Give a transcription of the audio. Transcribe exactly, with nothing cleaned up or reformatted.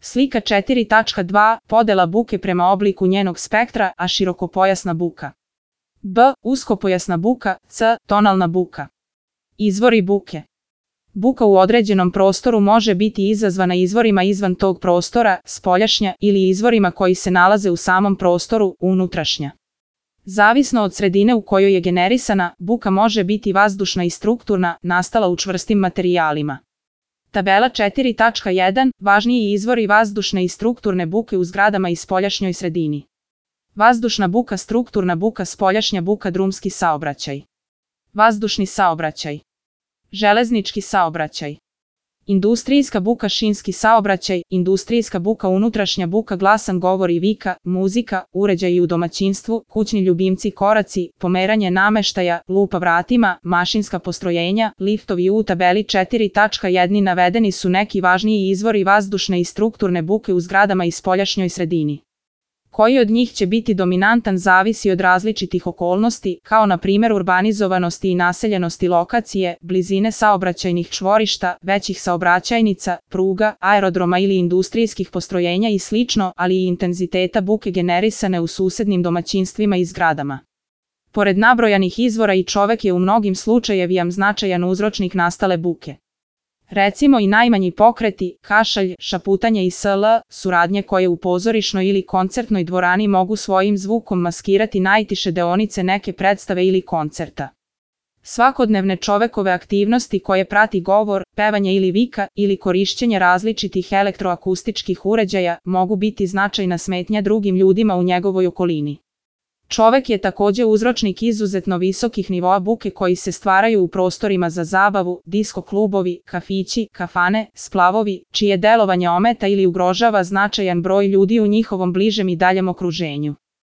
Slika četiri tačka dva. Podela buke prema obliku njenog spektra, a širokopojasna buka. B. Uskopojasna buka. C. Tonalna buka. Izvori buke. Buka u određenom prostoru može biti izazvana izvorima izvan tog prostora, spoljašnja, ili izvorima koji se nalaze u samom prostoru, unutrašnja. Zavisno od sredine u kojoj je generisana, buka može biti vazdušna i strukturna, nastala u čvrstim materijalima. Tabela četiri tačka jedan. Važniji izvori vazdušne i strukturne buke u zgradama i spoljašnjoj sredini. Vazdušna buka, strukturna buka, spoljašnja buka, drumski saobraćaj. Vazdušni saobraćaj. Železnički saobraćaj. Industrijska buka, šinski saobraćaj, industrijska buka, unutrašnja buka, glasan govor i vika, muzika, uređaji u domaćinstvu, kućni ljubimci, koraci, pomeranje nameštaja, lupa vratima, mašinska postrojenja, liftovi. U tabeli četiri tačka jedan navedeni su neki važniji izvori vazdušne i strukturne buke u zgradama i spoljašnjoj sredini. Koji od njih će biti dominantan zavisi od različitih okolnosti, kao na primjer urbanizovanosti i naseljenosti lokacije, blizine saobraćajnih čvorišta, većih saobraćajnica, pruga, aerodroma ili industrijskih postrojenja i slično, ali i intenziteta buke generisane u susednim domaćinstvima i zgradama. Pored nabrojanih izvora i čovek je u mnogim slučajevima značajan uzročnik nastale buke. Recimo i najmanji pokreti, kašalj, šaputanje i sl. Suradnje koje u pozorišnoj ili koncertnoj dvorani mogu svojim zvukom maskirati najtiše deonice neke predstave ili koncerta. Svakodnevne čovekove aktivnosti koje prati govor, pevanje ili vika, ili korišćenje različitih elektroakustičkih uređaja mogu biti značajna smetnja drugim ljudima u njegovoj okolini. Čovek je takođe uzročnik izuzetno visokih nivoa buke koji se stvaraju u prostorima za zabavu, disko klubovi, kafići, kafane, splavovi, čije delovanje ometa ili ugrožava značajan broj ljudi u njihovom bližem i daljem okruženju.